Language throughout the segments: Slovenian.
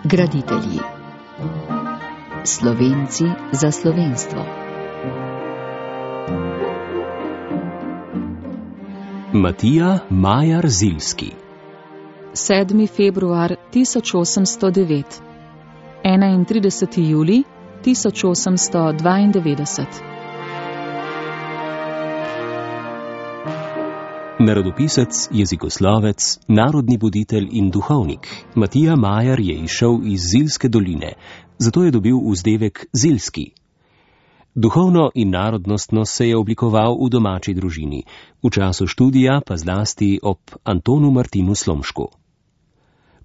Graditelji. Slovenci za slovenstvo. Matija Majar Ziljski. 7. februar 1809. 31. julij 1892. Narodopisec, jezikoslovec, narodni buditelj in duhovnik, Matija Majar je izšel iz Ziljske doline, zato je dobil vzdevek Ziljski. Duhovno in narodnostno se je oblikoval v domači družini, v času študija pa zlasti ob Antonu Martinu Slomšku.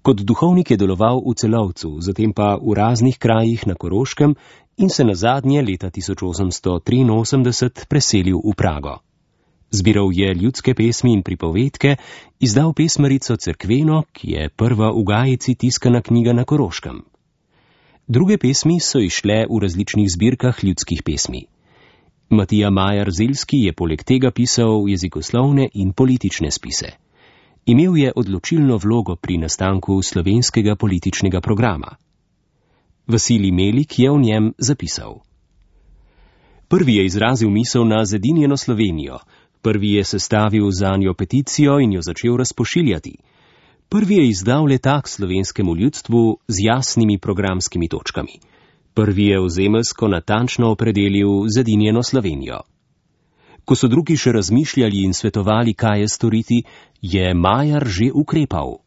Kot duhovnik je deloval v Celovcu, zatem pa v raznih krajih na Koroškem in se nazadnje leta 1883 preselil v Prago. Zbiral je ljudske pesmi in pripovedke, izdal pesmarico Cerkveno, ki je prva v Gajici tiskana knjiga na Koroškem. Druge pesmi so izšle v različnih zbirkah ljudskih pesmi. Matija Majar Ziljski je poleg tega pisal jezikoslovne in politične spise. Imel je odločilno vlogo pri nastanku slovenskega političnega programa. Vasilij Melik je o njem zapisal. Prvi je izrazil misel na zedinjeno Slovenijo, prvi je sestavil zanjo peticijo in jo začel razpošiljati. Prvi je izdal letak slovenskemu ljudstvu z jasnimi programskimi točkami. Prvi je ozemeljsko natančno opredelil zedinjeno Slovenijo. Ko so drugi še razmišljali in svetovali, kaj je storiti, je Majar že ukrepal.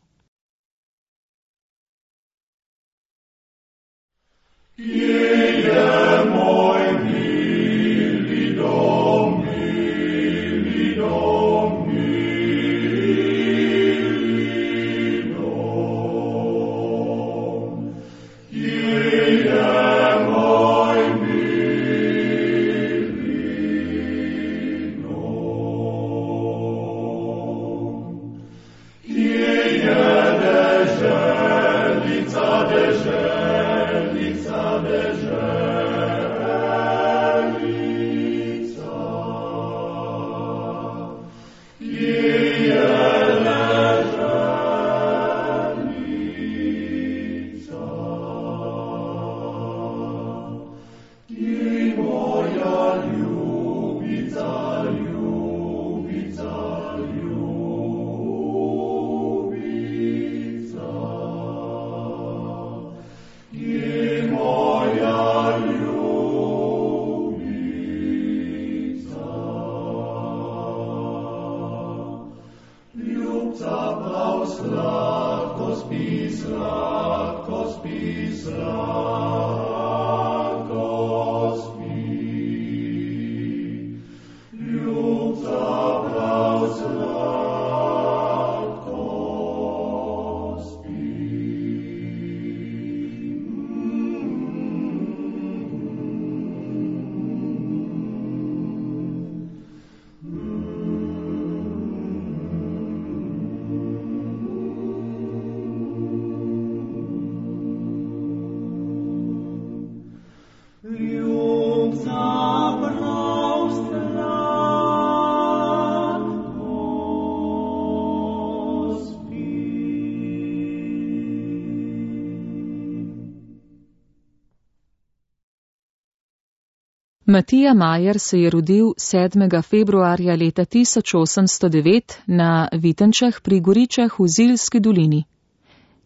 Matija Majar se je rodil 7. februarja leta 1809 na Vitenčah pri Goričah v Ziljski dolini.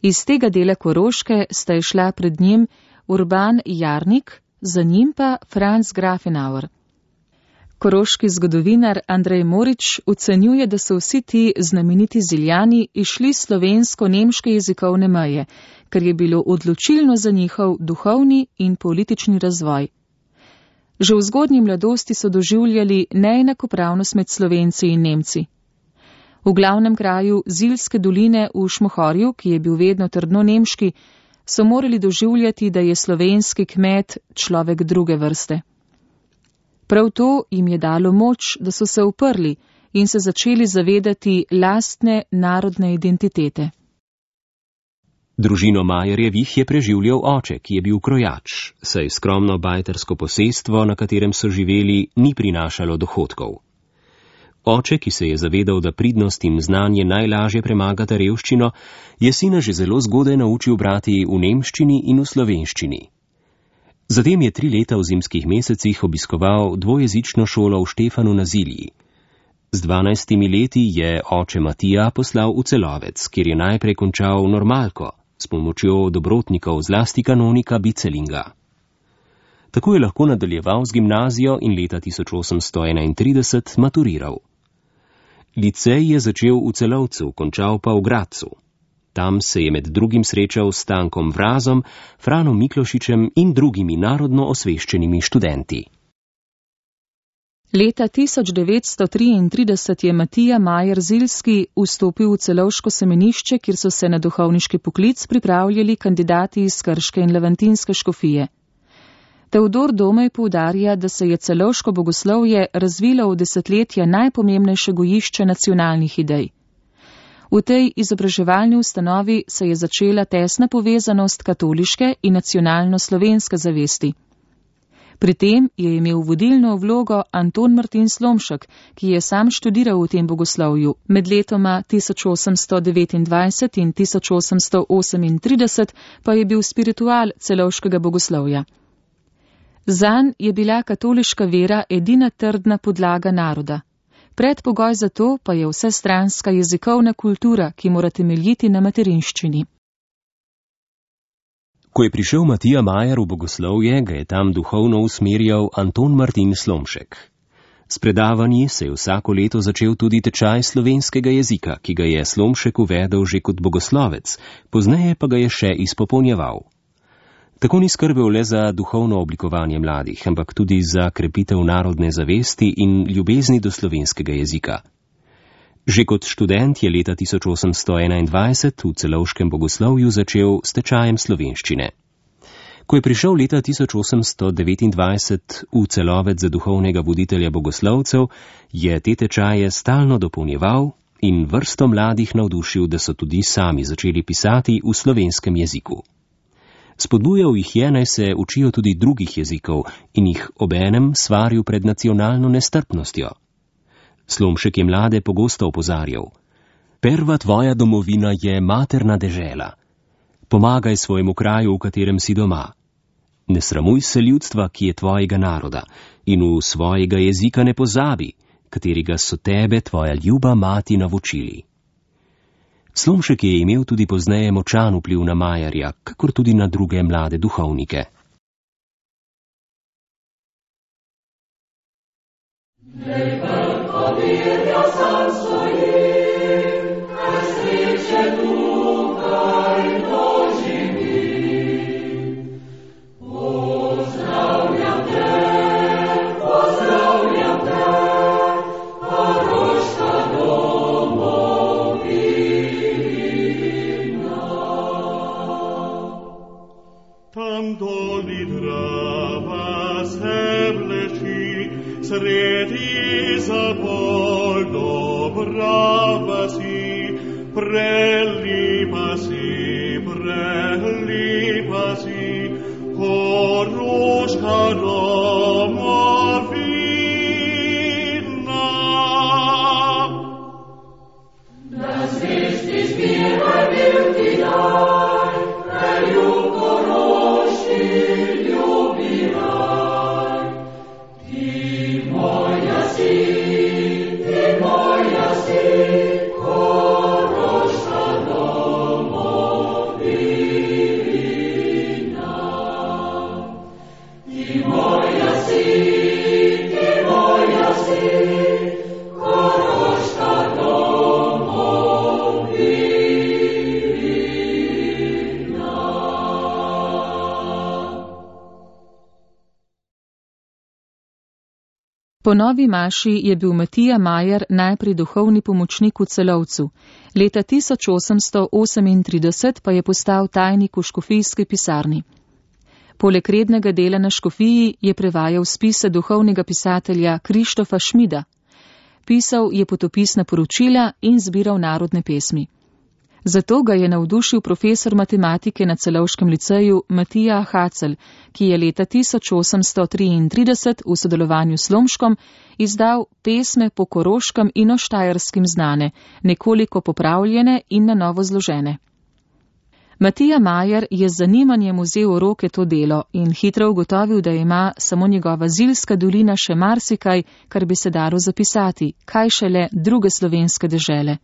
Iz tega dela Koroške sta išla pred njim Urban Jarnik, za njim pa Franz Grafenauer. Koroški zgodovinar Andrej Morič ocenjuje, da so vsi ti znameniti Ziljani išli slovensko-nemške jezikovne meje, kar je bilo odločilno za njihov duhovni in politični razvoj. Že v zgodnji mladosti so doživljali neenakopravnost med Slovenci in Nemci. V glavnem kraju Ziljske doline v Šmohorju, ki je bil vedno trdno nemški, so morali doživljati, da je slovenski kmet človek druge vrste. Prav to jim je dalo moč, da so se uprli in se začeli zavedati lastne narodne identitete. Družino Majerjevih je preživljal oče, ki je bil krojač, saj skromno bajtersko posestvo, na katerem so živeli, ni prinašalo dohodkov. Oče, ki se je zavedal, da pridnost in znanje najlažje premagata revščino, je sina že zelo zgodaj naučil brati v nemščini in v slovenščini. Zatem je 3 leta v zimskih mesecih obiskoval dvojezično šolo v Štefanu na Zilji. Z 12 leti je oče Matija poslal v Celovec, kjer je najprej končal normalko s pomočjo dobrotnikov, zlasti kanonika Bicelinga. Tako je lahko nadaljeval z gimnazijo in leta 1831 maturiral. Licej je začel v Celovcu, končal pa v Gradcu. Tam se je med drugim srečal s Stankom Vrazom, Franom Miklošičem in drugimi narodno osveščenimi študenti. Leta 1933 je Matija Majer Ziljski vstopil v celovško semenišče, kjer so se na duhovniški poklic pripravljali kandidati iz Krške in Levantinske škofije. Teodor Domej poudarja, da se je celovško bogoslovje razvilo v desetletja najpomembnejše gojišče nacionalnih idej. V tej izobraževalni ustanovi se je začela tesna povezanost katoliške in nacionalno-slovenske zavesti. Pri tem je imel vodilno vlogo Anton Martin Slomšek, ki je sam študiral v tem bogoslovju. Med letoma 1829 in 1838 pa je bil spiritual celovškega bogoslovja. Zanj je bila katoliška vera edina trdna podlaga naroda. Predpogoj za to pa je vsestranska jezikovna kultura, ki mora temeljiti na materinščini. Ko je prišel Matija Majer v bogoslovje, ga je tam duhovno usmerjal Anton Martin Slomšek. S predavanji se je vsako leto začel tudi tečaj slovenskega jezika, ki ga je Slomšek uvedel že kot bogoslovec, pozneje pa ga je še izpopolnjeval. Tako ni skrbel le za duhovno oblikovanje mladih, ampak tudi za krepitev narodne zavesti in ljubezni do slovenskega jezika. Že kot študent je leta 1821 v celovškem bogoslovju začel s tečajem slovenščine. Ko je prišel leta 1829 v Celovec za duhovnega voditelja bogoslovcev, je te tečaje stalno dopolnjeval in vrsto mladih navdušil, da so tudi sami začeli pisati v slovenskem jeziku. Spodbujal jih je, naj se učijo tudi drugih jezikov in jih obenem svaril pred nacionalno nestrpnostjo. Slomšek je mlade pogosto opozarjal: Prva tvoja domovina je materna dežela. Pomagaj svojemu kraju, v katerem si doma. Ne sramuj se ljudstva, ki je tvojega naroda, in v svojega jezika ne pozabi, katerega so tebe tvoja ljuba mati naučili. Slomšek je imel tudi pozneje močan vpliv na Majerja, kakor tudi na druge mlade duhovnike. Sredi zabol dobrava si, prelipa si, Koroška domovina. Da zvesti zbiraj bil ti daj, kraju Koroški ljubi raj. Ti moja si, Koroška domovina. Ti moja si, Koroška domovina. Po novi maši je bil Matija Majer najprej duhovni pomočnik v Celovcu. Leta 1838 pa je postal tajnik v škofijski pisarni. Poleg rednega dela na škofiji je prevajal spise duhovnega pisatelja Krištofa Šmida. Pisal je potopisna poročila in zbiral narodne pesmi. Zato ga je navdušil profesor matematike na Celovškem liceju Matija Hacel, ki je leta 1833 v sodelovanju s Slomškom izdal pesme po koroškem in o štajerskem znane, nekoliko popravljene in na novo zložene. Matija Majer je z zanimanjem vzel v roke to delo in hitro ugotovil, da ima samo njegova Zilska dolina še marsikaj, kar bi se dalo zapisati, kaj šele druge slovenske dežele.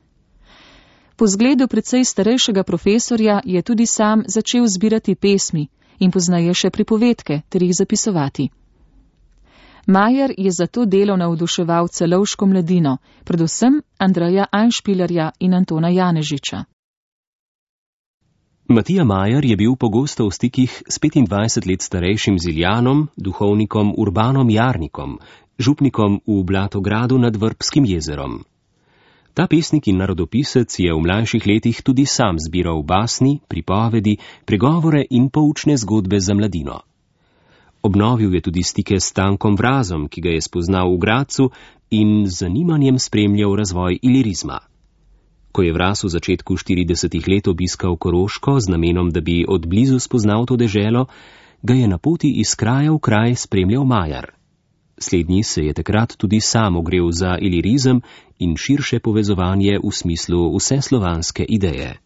Po zgledu precej starejšega profesorja je tudi sam začel zbirati pesmi in poznaje še pripovedke ter jih zapisovati. Majer je za to delo navduševal celovško mladino, predvsem Andreja Anšpilerja in Antona Janežiča. Matija Majer je bil pogosto v stikih s 25 let starejšim Ziljanom, duhovnikom Urbanom Jarnikom, župnikom v Blatogradu nad Vrbskim jezerom. Ta pesnik in narodopisec je v mlajših letih tudi sam zbiral basni, pripovedi, pregovore in poučne zgodbe za mladino. Obnovil je tudi stike s Stankom Vrazom, ki ga je spoznal v Gradcu in z zanimanjem spremljal razvoj ilirizma. Ko je Vraz v začetku 40 let obiskal Koroško z namenom, da bi od blizu spoznal to deželo, ga je na poti iz kraja v kraj spremljal Majer. Slednji se je takrat tudi sam ogrel za ilirizem in širše povezovanje v smislu vseslovanske ideje.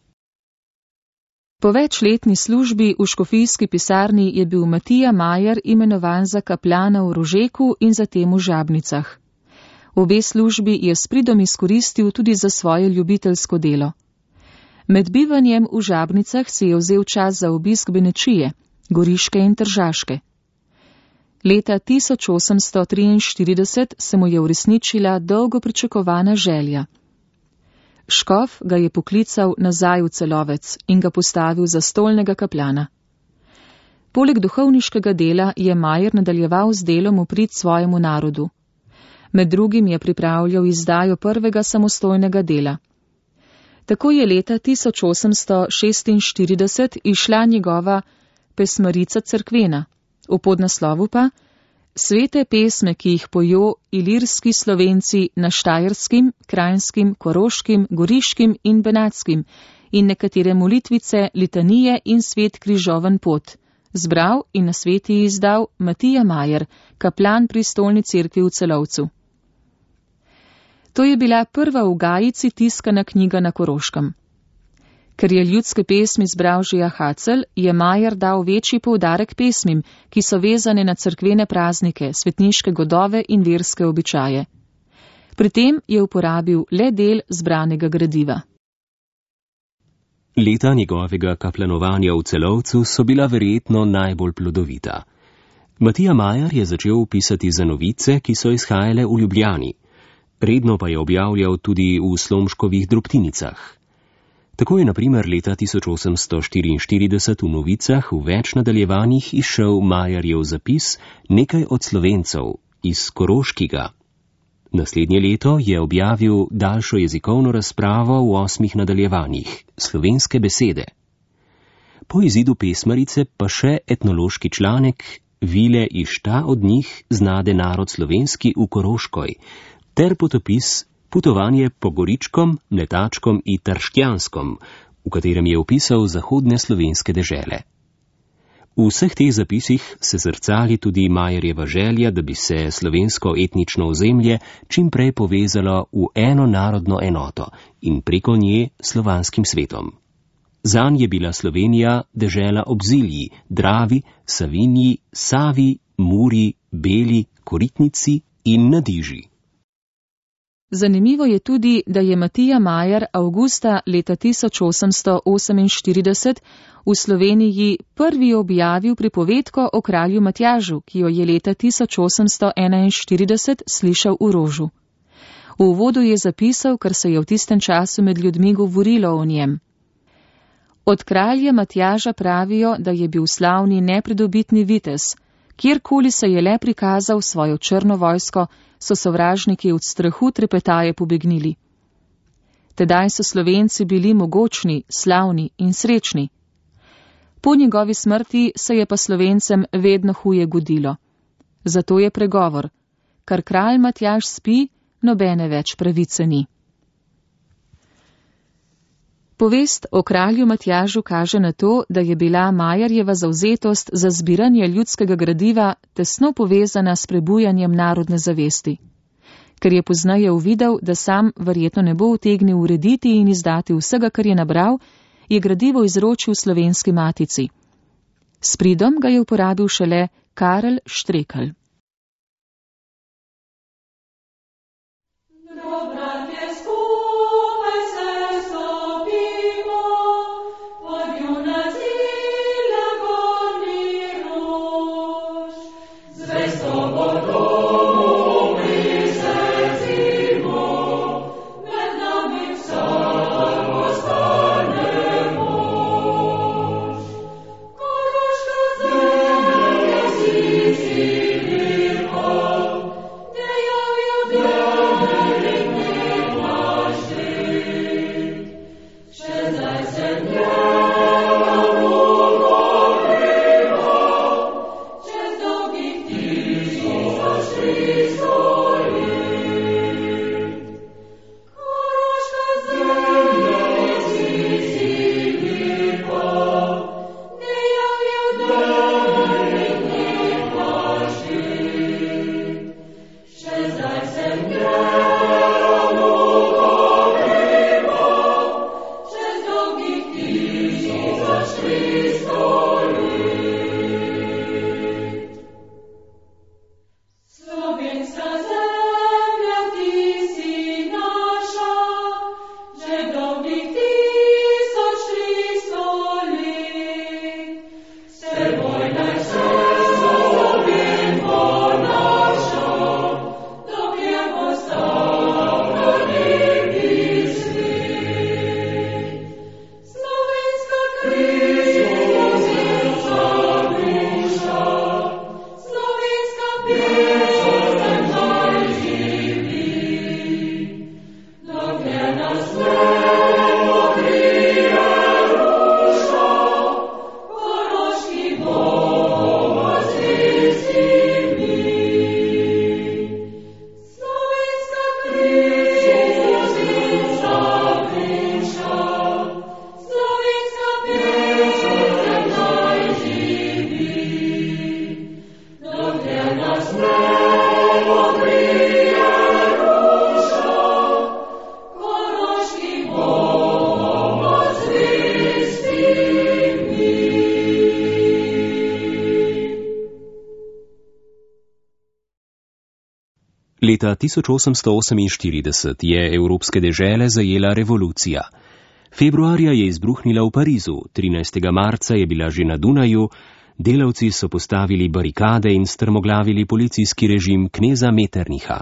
Po večletni službi v škofijski pisarni je bil Matija Majer imenovan za kaplana v Rožeku in zatem v Žabnicah. Obe službi je s pridom izkoristil tudi za svoje ljubiteljsko delo. Med bivanjem v Žabnicah si je vzel čas za obisk Benečije, Goriške in Tržaške. Leta 1843 se mu je uresničila dolgo pričakovana želja. Škof ga je poklical nazaj v Celovec in ga postavil za stolnega kaplana. Poleg duhovniškega dela je Majer nadaljeval z delom v prid svojemu narodu. Med drugim je pripravljal izdajo prvega samostojnega dela. Tako je leta 1846 išla njegova Pesmarica cerkvena, v podnaslovu pa Svete pesme, ki jih pojo ilirski Slovenci na štajerskim, krajnskim, koroškim, goriškim in benatskim in nekatere molitvice, litanije in svet križoven pot, zbral in na sveti izdal Matija Majer, kaplan pri stolni cerkvi v Celovcu. To je bila prva v Gajici tiskana knjiga na Koroškem. Ker je ljudske pesmi zbral že Hacel, je Majer dal večji poudarek pesmim, ki so vezane na cerkvene praznike, svetniške godove in verske običaje. Pri tem je uporabil le del zbranega gradiva. Leta njegovega kaplanovanja v Celovcu so bila verjetno najbolj plodovita. Matija Majer je začel pisati za novice, ki so izhajale v Ljubljani. Redno pa je objavljal tudi v Slomškovih drobtinicah. Tako je na primer leta 1844 v novicah v več nadaljevanjih izšel Majerjev zapis Nekaj od Slovencev iz Koroškega. Naslednje leto je objavil daljšo jezikovno razpravo v 8 nadaljevanjih Slovenske besede. Po izidu Pesmarice pa še etnološki članek Vile i šta od njih znade narod slovenski v Koroškoj ter potopis Putovanje po Goričkom, Mletačkom in Trštjanskom, v katerem je opisal zahodne slovenske dežele. V vseh teh zapisih se zrcali tudi Majerjeva želja, da bi se slovensko etnično ozemlje čim prej povezalo v eno narodno enoto in preko nje slovanskim svetom. Zanj je bila Slovenija dežela ob Zilji, Dravi, Savinji, Savi, Muri, Beli, Koritnici in Nadiži. Zanimivo je tudi, da je Matija Majer avgusta leta 1848 v Sloveniji prvi objavil pripovedko o kralju Matjažu, ki jo je leta 1841 slišal v Rožu. V uvodu je zapisal, kar se je v tistem času med ljudmi govorilo o njem. Od kralja Matjaža pravijo, da je bil slavni nepridobitni vitez. Kjerkoli se je le prikazal svojo črno vojsko, so sovražniki od strahu trepetaje pobegnili. Tedaj so Slovenci bili mogočni, slavni in srečni. Po njegovi smrti se je pa Slovencem vedno huje godilo. Zato je pregovor, kar kralj Matjaž spi, nobene več pravice ni. Povest o kralju Matjažu kaže na to, da je bila Majerjeva zavzetost za zbiranje ljudskega gradiva tesno povezana s prebujanjem narodne zavesti. Ker je poznaje uvidel, da sam verjetno ne bo utegnil urediti in izdati vsega, kar je nabral, je gradivo izročil Slovenski matici. S pridom ga je uporabil šele Karel Štrekelj. Leta 1848 je evropske dežele zajela revolucija. Februarja je izbruhnila v Parizu, 13. marca je bila že na Dunaju, delavci so postavili barikade in strmoglavili policijski režim kneza Metternicha.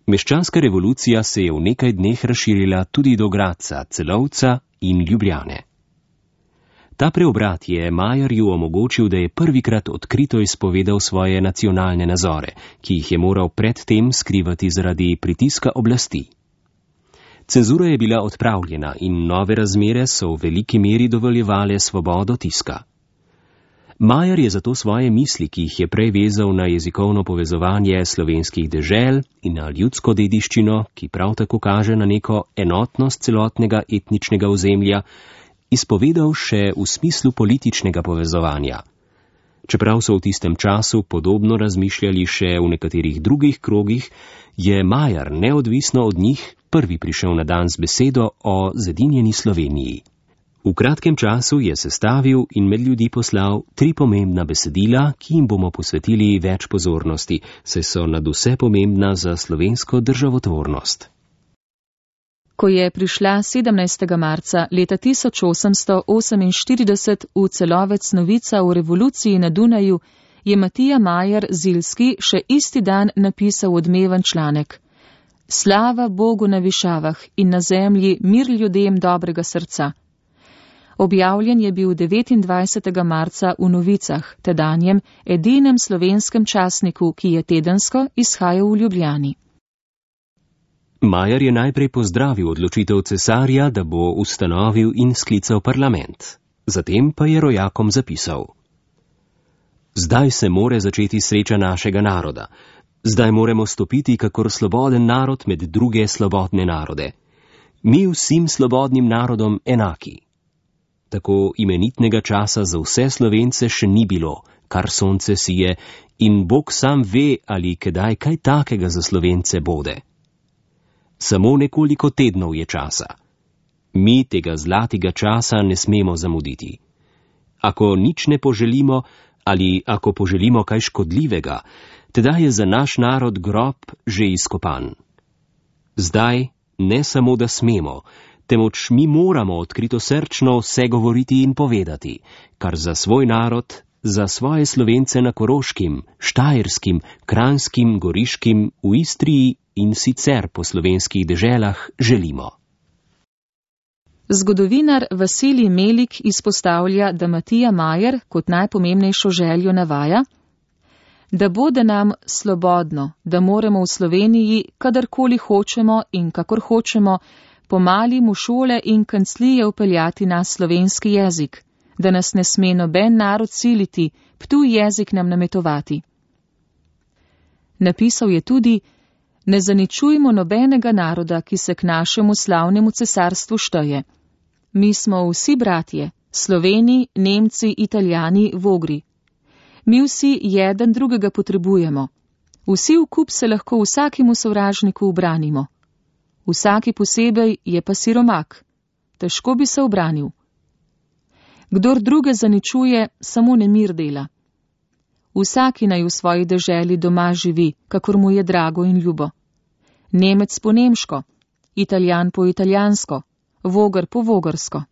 Meščanska revolucija se je v nekaj dneh razširila tudi do Gradca, Celovca in Ljubljane. Ta preobrat je Majerju omogočil, da je prvikrat odkrito izpovedal svoje nacionalne nazore, ki jih je moral predtem skrivati zaradi pritiska oblasti. Cenzura je bila odpravljena in nove razmere so v veliki meri dovoljevale svobodo tiska. Majer je zato svoje misli, ki jih je prej vezal na jezikovno povezovanje slovenskih dežel in na ljudsko dediščino, ki prav tako kaže na neko enotnost celotnega etničnega ozemlja, izpovedal še v smislu političnega povezovanja. Čeprav so v tistem času podobno razmišljali še v nekaterih drugih krogih, je Majer neodvisno od njih prvi prišel na dan z besedo o zedinjeni Sloveniji. V kratkem času je sestavil in med ljudi poslal 3 pomembna besedila, ki jim bomo posvetili več pozornosti, saj so nadvse pomembna za slovensko državotvornost. Ko je prišla 17. marca leta 1848 v Celovec novica o revoluciji na Dunaju, je Matija Majer Ziljski še isti dan napisal odmeven članek. Slava Bogu na višavah in na zemlji mir ljudem dobrega srca. Objavljen je bil 29. marca v Novicah, tedanjem edinem slovenskem časniku, ki je tedensko izhajal v Ljubljani. Majer je najprej pozdravil odločitev cesarja, da bo ustanovil in sklical parlament. Zatem pa je rojakom zapisal: Zdaj se more začeti sreča našega naroda. Zdaj moremo stopiti kakor sloboden narod med druge slobodne narode. mi vsem svobodnim narodom enaki. Tako imenitnega časa za vse Slovence še ni bilo, kar sonce sije, in Bog sam ve, ali kdaj kaj takega za Slovence bode. Samo nekoliko tednov je časa. Mi tega zlatega časa ne smemo zamuditi. Ako nič ne poželimo, ali ako poželimo kaj škodljivega, teda je za naš narod grob že izkopan. Zdaj ne samo, da smemo, temveč mi moramo odkritosrčno vse govoriti in povedati, kar za svoj narod, za svoje Slovence na Koroškem, Štajerskim, Kranjskim, Goriškim, v Istriji in sicer po slovenskih deželah želimo. Zgodovinar Vasilij Melik izpostavlja, da Matija Majer kot najpomembnejšo željo navaja, da bode nam slobodno, da moremo v Sloveniji, kadarkoli hočemo in kakor hočemo, pomali mu šole in kanclije vpeljati na slovenski jezik, da nas ne sme noben narod siliti, ptuj jezik nam nametovati. Napisal je tudi, ne zaničujmo nobenega naroda, ki se k našemu slavnemu cesarstvu šteje. Mi smo vsi bratje, Sloveni, Nemci, Italijani, Vogri. Mi vsi jeden drugega potrebujemo. Vsi v kup se lahko vsakemu sovražniku ubranimo. Vsaki posebej je pa siromak. Težko bi se ubranil. Kdor druge zaničuje, samo nemir dela. Vsaki naj v svoji deželi doma živi, kakor mu je drago in ljubo. Nemec po nemško, Italijan po italijansko, Vogar po vogrsko.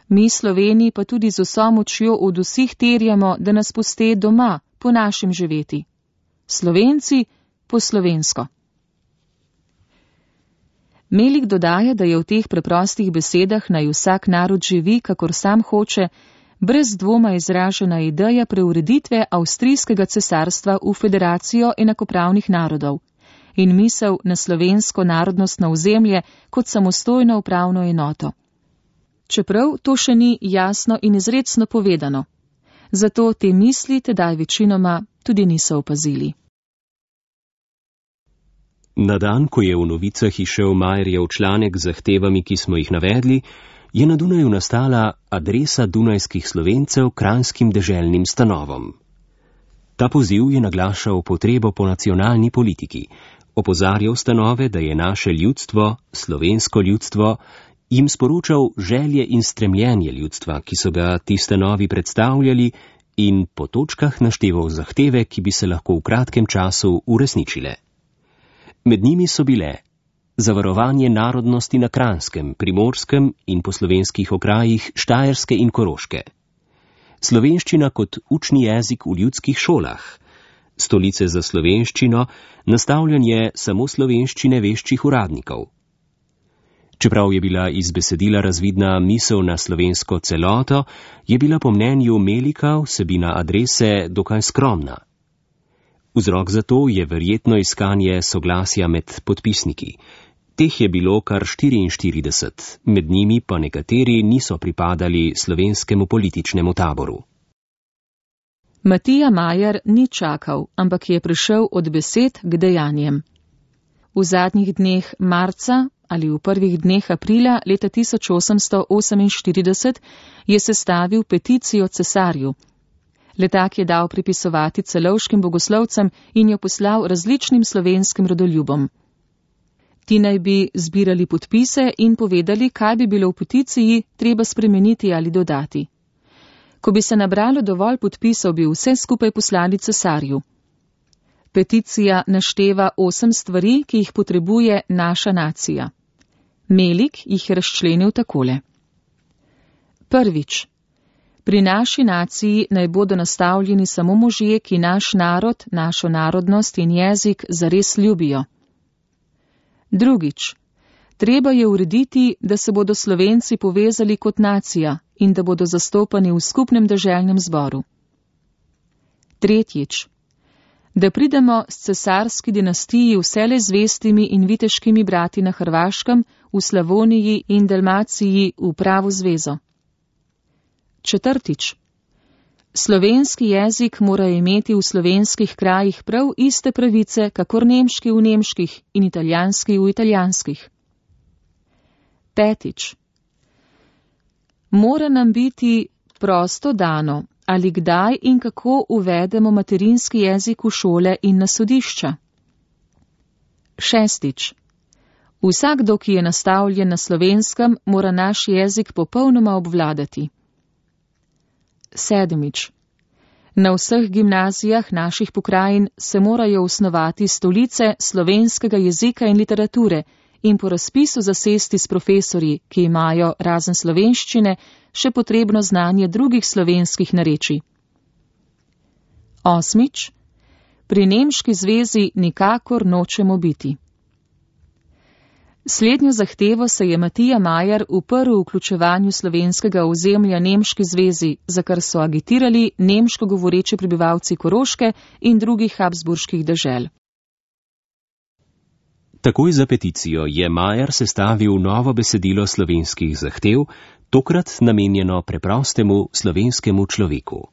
Mi Sloveni pa tudi z vso močjo od vseh terjamo, da nas puste doma, po našem živeti. Slovenci po slovensko. Melik dodaja, da je v teh preprostih besedah naj vsak narod živi, kakor sam hoče, brez dvoma izražena ideja preureditve avstrijskega cesarstva v federacijo enakopravnih narodov in misel na slovensko narodnostno ozemlje kot samostojno upravno enoto. Čeprav to še ni jasno in izrecno povedano, zato te misli tedaj večinoma tudi niso opazili. Na dan, ko je v novicah izšel Majerjev članek z zahtevami, ki smo jih navedli, je na Dunaju nastala adresa dunajskih Slovencev kranjskim deželnim stanovom. Ta poziv je naglašal potrebo po nacionalni politiki, opozarjal stanove, da je naše ljudstvo, slovensko ljudstvo, jim sporočal želje in stremljenje ljudstva, ki so ga ti stanovi predstavljali, in po točkah našteval zahteve, ki bi se lahko v kratkem času uresničile. Med njimi so bile zavarovanje narodnosti na Kranjskem, Primorskem in po slovenskih okrajih Štajerske in Koroške, slovenščina kot učni jezik v ljudskih šolah, stolice za slovenščino, nastavljanje samo slovenščine veščih uradnikov. Čeprav je bila iz besedila razvidna misel na slovensko celoto, je bila po mnenju Melika vsebina adrese dokaj skromna. Vzrok za to je verjetno iskanje soglasja med podpisniki. Teh je bilo kar 44, med njimi pa nekateri niso pripadali slovenskemu političnemu taboru. Matija Majer ni čakal, ampak je prišel od besed k dejanjem. V zadnjih dneh marca ali v prvih dneh aprila leta 1848 je sestavil peticijo cesarju. Letak je dal pripisovati celovškim bogoslovcem in jo poslal različnim slovenskim rodoljubom. Ti naj bi zbirali podpise in povedali, kaj bi bilo v peticiji treba spremeniti ali dodati. Ko bi se nabralo dovolj podpisov, bi vse skupaj poslali cesarju. Peticija našteva 8 stvari, ki jih potrebuje naša nacija. Melik jih je razčlenil takole. Prvič. Pri naši naciji naj bodo nastavljeni samo možje, ki naš narod, našo narodnost in jezik zares ljubijo. Drugič. Treba je urediti, da se bodo Slovenci povezali kot nacija in da bodo zastopani v skupnem deželnem zboru. Tretjič. Da pridemo s cesarski dinastiji vselej zvestimi in viteškimi brati na Hrvaškem, v Slavoniji in Dalmaciji v pravo zvezo. Četrtič. Slovenski jezik mora imeti v slovenskih krajih prav iste pravice, kakor nemški v nemških in italijanski v italijanskih. 5. Mora nam biti prosto dano, ali kdaj in kako uvedemo materinski jezik v šole in na sodišča. 6. Vsakdo, ki je nastavljen na slovenskem, mora naš jezik popolnoma obvladati. 7. Na vseh gimnazijah naših pokrajin se morajo osnovati stolice slovenskega jezika in literature in po razpisu zasesti s profesorji, ki imajo razen slovenščine še potrebno znanje drugih slovenskih narečij. 8. Pri nemški zvezi nikakor nočemo biti. Slednjo zahtevo se je Matija Majer uprl vključevanju slovenskega ozemlja nemški zvezi, za kar so agitirali nemško govoreči prebivalci Koroške in drugih habsburških dežel. Takoj za peticijo je Majer sestavil novo besedilo slovenskih zahtev, tokrat namenjeno preprostemu slovenskemu človeku.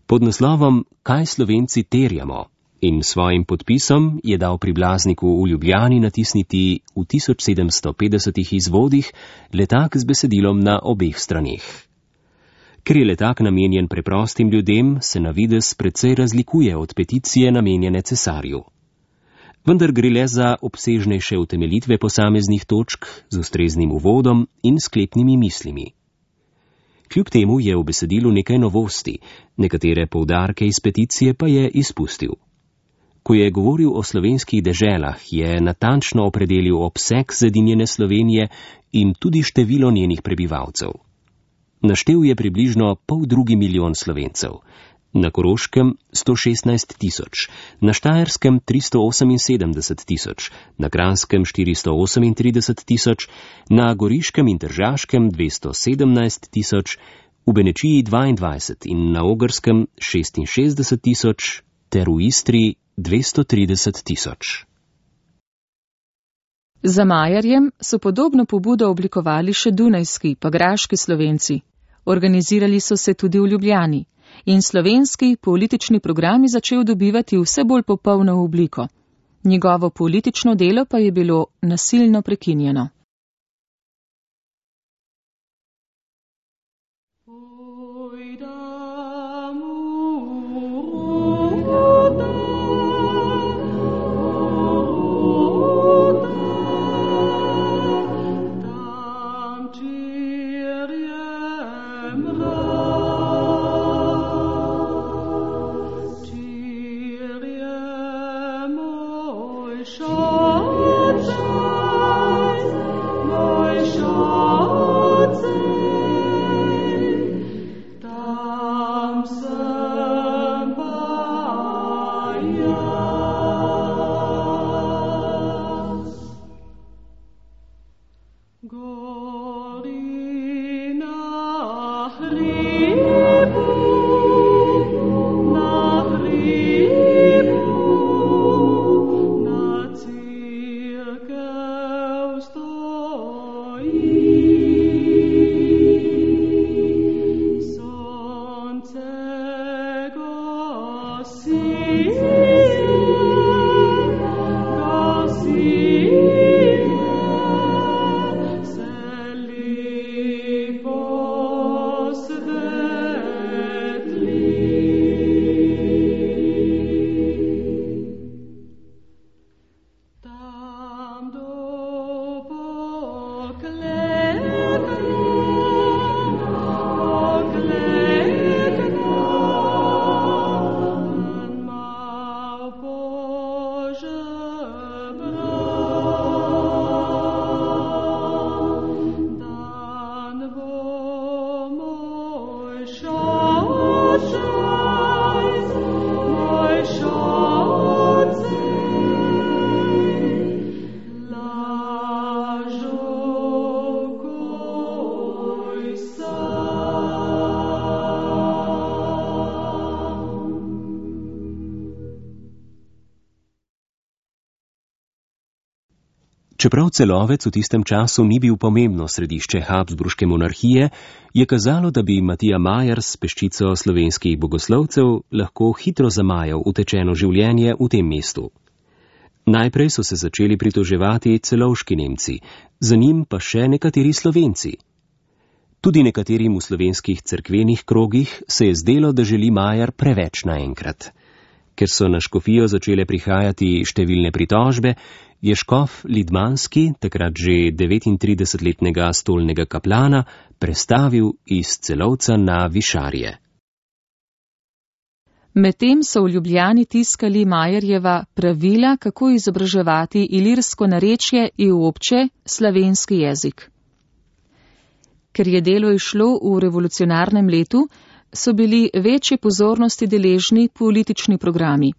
Pod naslovom Kaj Slovenci terjamo in svojim podpisom je dal pri Blazniku v Ljubljani natisniti v 1750 izvodih letak z besedilom na obeh straneh. Ker je letak namenjen preprostim ljudem, se na videz precej razlikuje od peticije namenjene cesarju. Vendar gre le za obsežnejše utemeljitve posameznih točk z ustreznim uvodom in sklepnimi mislimi. Kljub temu je v besedilu nekaj novosti, nekatere poudarke iz peticije pa je izpustil. Ko je govoril o slovenskih deželah, je natančno opredelil obseg zedinjene Slovenije in tudi število njenih prebivalcev. Naštel je približno 2,5 milijona Slovencev, na Koroškem 116 tisoč, na Štajerskem 378 tisoč, na Kranjskem 438 tisoč, na Goriškem in Tržaškem 217 tisoč, v Benečiji 22 in na Ogrskem 66 tisoč, ter v Istri 230 tisoč. Za Majerjem so podobno pobudo oblikovali še dunajski pa graški Slovenci. Organizirali so se tudi v Ljubljani in slovenski politični program je začel dobivati vse bolj popolno obliko. Njegovo politično delo pa je bilo nasilno prekinjeno. Čeprav Celovec v tistem času ni bil pomembno središče habsburške monarhije, je kazalo, da bi Matija Majer s peščico slovenskih bogoslovcev lahko hitro zamajal utečeno življenje v tem mestu. Najprej so se začeli pritoževati celovški Nemci, za njim pa še nekateri Slovenci. Tudi nekaterim v slovenskih cerkvenih krogih se je zdelo, da želi Majer preveč naenkrat. Ker so na škofijo začele prihajati številne pritožbe, je škof Lidmanski, takrat že 39-letnega stolnega kaplana, prestavil iz Celovca na Višarje. Medtem so v Ljubljani tiskali Majerjeva pravila, kako izobraževati ilirsko narečje in obče slovenski jezik. Ker je delo išlo v revolucionarnem letu, so bili večje pozornosti deležni politični programi.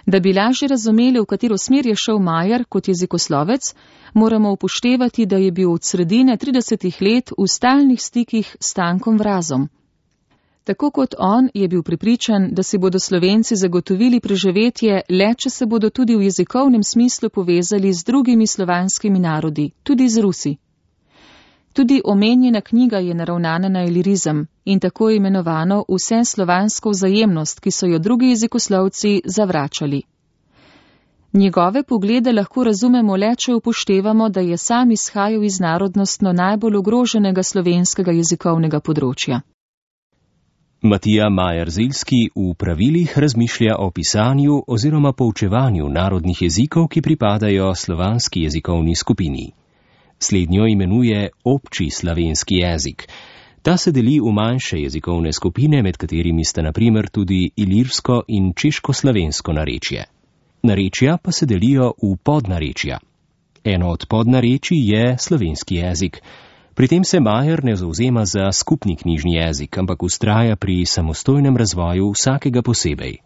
Da bi lažje razumeli, v katero smer je šel Majer kot jezikoslovec, moramo upoštevati, da je bil od sredine 30 let v stalnih stikih s Stankom Vrazom. Tako kot on je bil prepričan, da si bodo Slovenci zagotovili preživetje le, če se bodo tudi v jezikovnem smislu povezali z drugimi slovanskimi narodi, tudi z Rusi. Tudi omenjena knjiga je naravnana na ilirizem in tako imenovano vse slovansko vzajemnost, ki so jo drugi jezikoslovci zavračali. Njegove poglede lahko razumemo le, če upoštevamo, da je sam izhajal iz narodnostno najbolj ogroženega slovenskega jezikovnega področja. Matija Majer-Ziljski v pravilih razmišlja o pisanju oziroma poučevanju narodnih jezikov, ki pripadajo slovanski jezikovni skupini. Slednjo imenuje obči slovenski jezik. Ta se deli v manjše jezikovne skupine, med katerimi sta na primer tudi ilirsko in češko-slovensko narečje. Narečja pa se delijo v podnarečja. Eno od podnarečij je slovenski jezik. Pri tem se Majer ne zavzema za skupni knjižni jezik, ampak vztraja pri samostojnem razvoju vsakega posebej.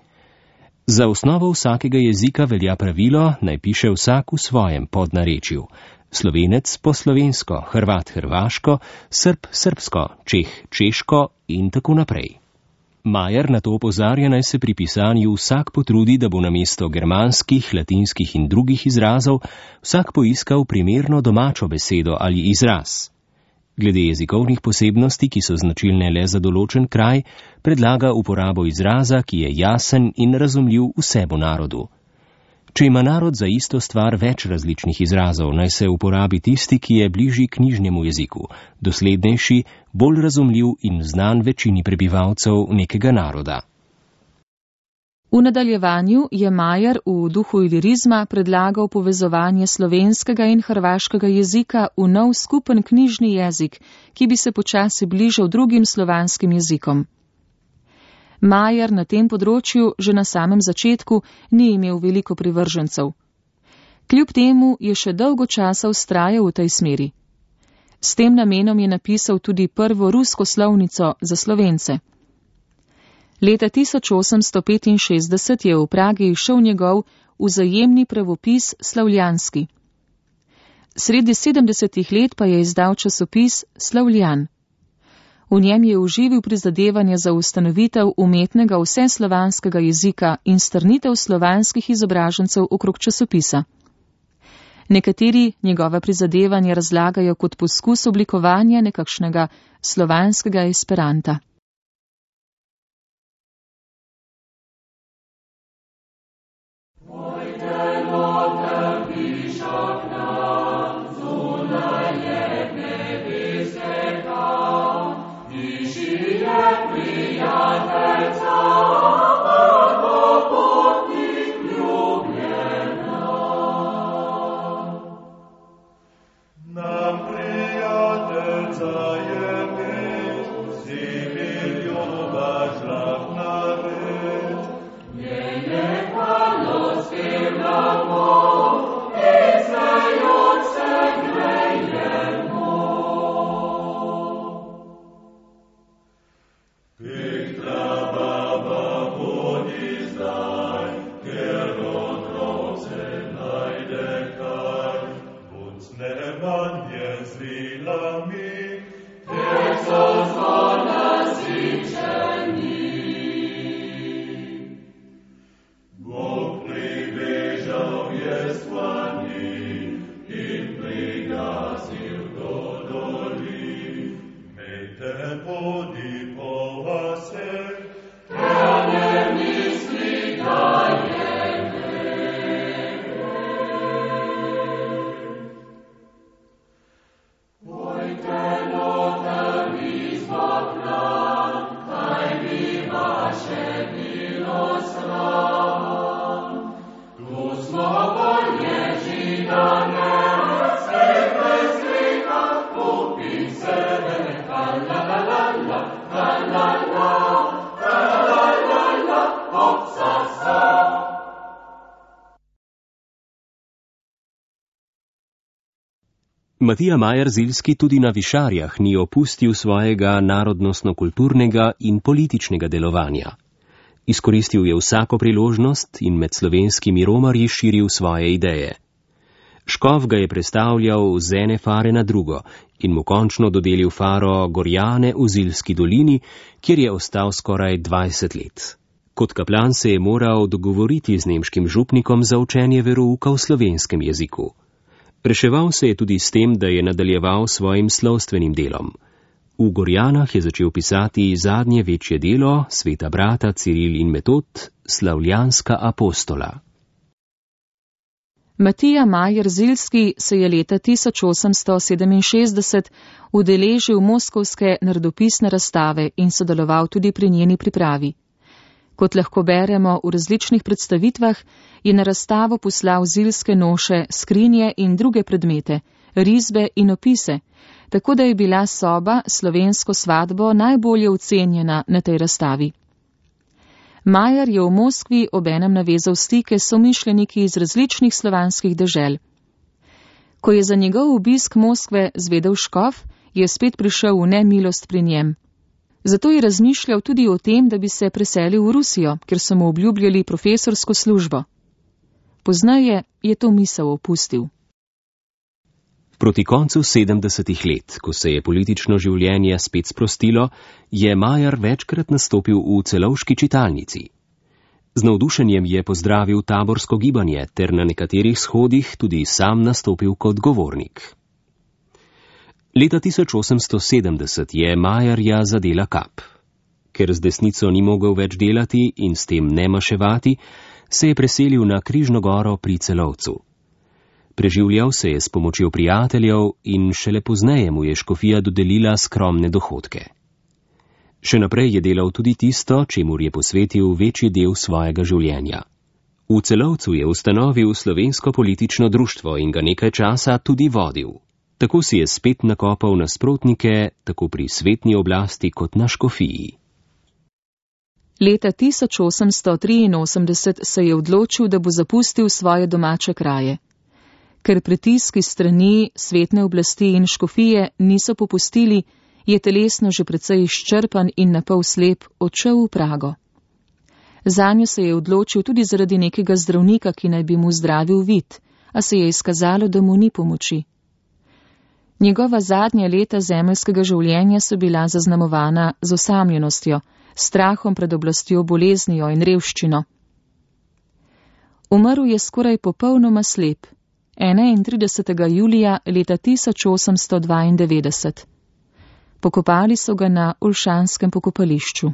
Za osnovo vsakega jezika velja pravilo, naj piše vsak v svojem podnarečju. Slovenec po slovensko, Hrvat hrvaško, Srb srbsko, Čeh češko in tako naprej. Majer na to opozarja, naj se pri pisanju vsak potrudi, da bo namesto germanskih, latinskih in drugih izrazov vsak poiskal primerno domačo besedo ali izraz. Glede jezikovnih posebnosti, ki so značilne le za določen kraj, predlaga uporabo izraza, ki je jasen in razumljiv vsemu narodu. Če ima narod za isto stvar več različnih izrazov, naj se uporabi tisti, ki je bližji knjižnemu jeziku, doslednejši, bolj razumljiv in znan večini prebivalcev nekega naroda. V nadaljevanju je Majer v duhu ilirizma predlagal povezovanje slovenskega in hrvaškega jezika v nov skupen knjižni jezik, ki bi se počasi bližal drugim slovanskim jezikom. Majer na tem področju že na samem začetku ni imel veliko privržencev. Kljub temu je še dolgo časa vztrajal v tej smeri. S tem namenom je napisal tudi prvo rusko slovnico za Slovence. Leta 1865 je v Pragi izšel njegov vzajemni pravopis Slavljanski. Sredi 70 let pa je izdal časopis Slavljan. V njem je uživil prizadevanja za ustanovitev umetnega vseslovanskega jezika in strnitev slovanskih izobražencev okrog časopisa. Nekateri njegova prizadevanja razlagajo kot poskus oblikovanja nekakšnega slovanskega esperanta. Matija Majer Ziljski tudi na Višarjah ni opustil svojega narodnostno-kulturnega in političnega delovanja. Izkoristil je vsako priložnost in med slovenskimi romarji širil svoje ideje. Škof ga je prestavljal z ene fare na drugo in mu končno dodelil faro Gorjane v Ziljski dolini, kjer je ostal skoraj 20 let. Kot kaplan se je moral dogovoriti z nemškim župnikom za učenje verouka v slovenskem jeziku. Reševal se je tudi s tem, da je nadaljeval svojim slovstvenim delom. V Gorjanah je začel pisati zadnje večje delo sveta brata Ciril in Metod, Slavljanska apostola. Matija Majer Ziljski se je leta 1867 udeležil moskovske narodopisne razstave in sodeloval tudi pri njeni pripravi. Kot lahko beremo v različnih predstavitvah, je na razstavo poslal ziljske noše, skrinje in druge predmete, risbe in opise, tako da je bila soba slovensko svatbo najbolje ocenjena na tej razstavi. Majer je v Moskvi obenem navezal stike s somišljeniki iz različnih slovanskih dežel. Ko je za njegov obisk Moskve zvedel škof, je spet prišel v nemilost pri njem. Zato je razmišljal tudi o tem, da bi se preselil v Rusijo, ker so mu obljubljali profesorsko službo. Pozneje je to misel opustil. Proti koncu 70 let, ko se je politično življenje spet sprostilo, je Majer večkrat nastopil v celovški čitalnici. Z navdušenjem je pozdravil taborsko gibanje ter na nekaterih shodih tudi sam nastopil kot govornik. Leta 1870 je Majerja zadela kap. Ker z desnico ni mogel več delati in s tem ne maševati, se je preselil na Križno goro pri Celovcu. Preživljal se je s pomočjo prijateljev in šele pozneje mu je škofija dodelila skromne dohodke. Še naprej je delal tudi tisto, čemur je posvetil večji del svojega življenja. V Celovcu je ustanovil slovensko politično društvo in ga nekaj časa tudi vodil. Tako si je spet nakopal nasprotnike, tako pri svetni oblasti kot na škofiji. Leta 1883 se je odločil, da bo zapustil svoje domače kraje. Ker pritiski strani svetne oblasti in škofije niso popustili, je telesno že precej izčrpan in napol slep odšel v Prago. Zanjo se je odločil tudi zaradi nekega zdravnika, ki naj bi mu zdravil vid, a se je izkazalo, da mu ni pomoči. Njegova zadnja leta zemeljskega življenja so bila zaznamovana z osamljenostjo, strahom pred oblastjo, boleznijo in revščino. Umrl je skoraj popolnoma slep, 31. julija leta 1892. Pokopali so ga na Olšanskem pokopališču.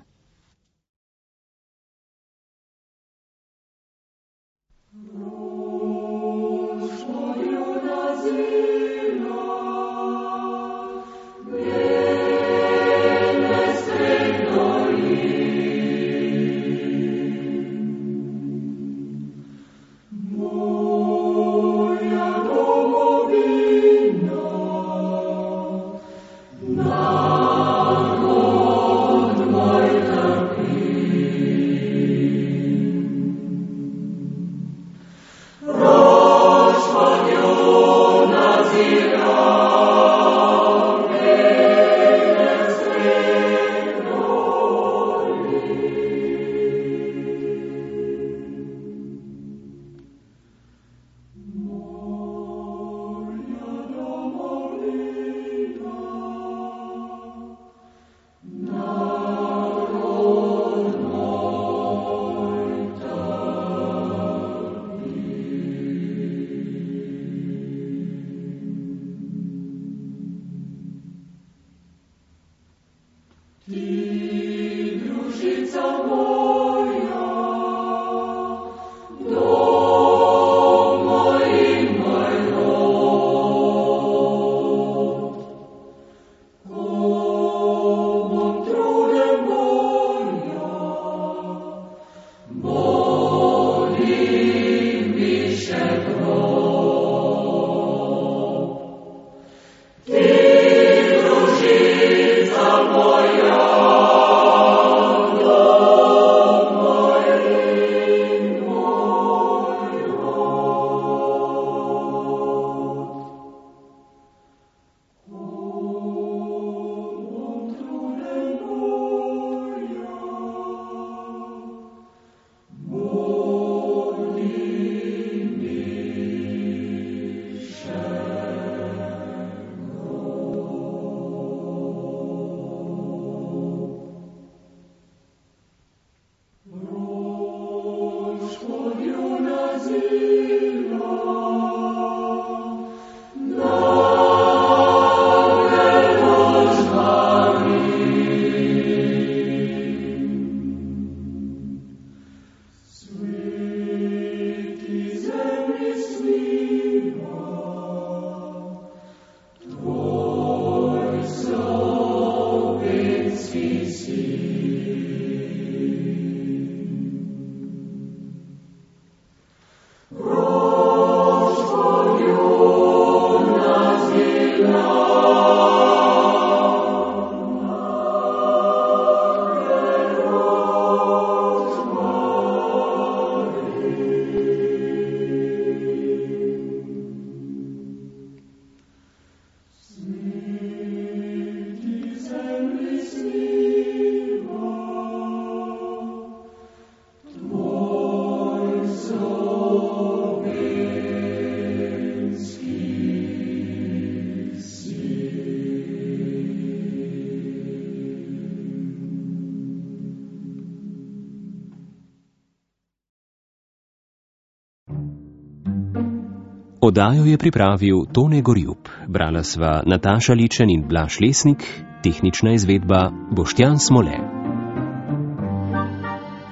Oddajo je pripravil Tone Gorjup, brala sva Nataša Ličen in Blaž Lesnik, tehnična izvedba Boštjan Smole.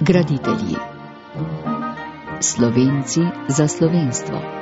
Graditelji. Slovenci za slovenstvo.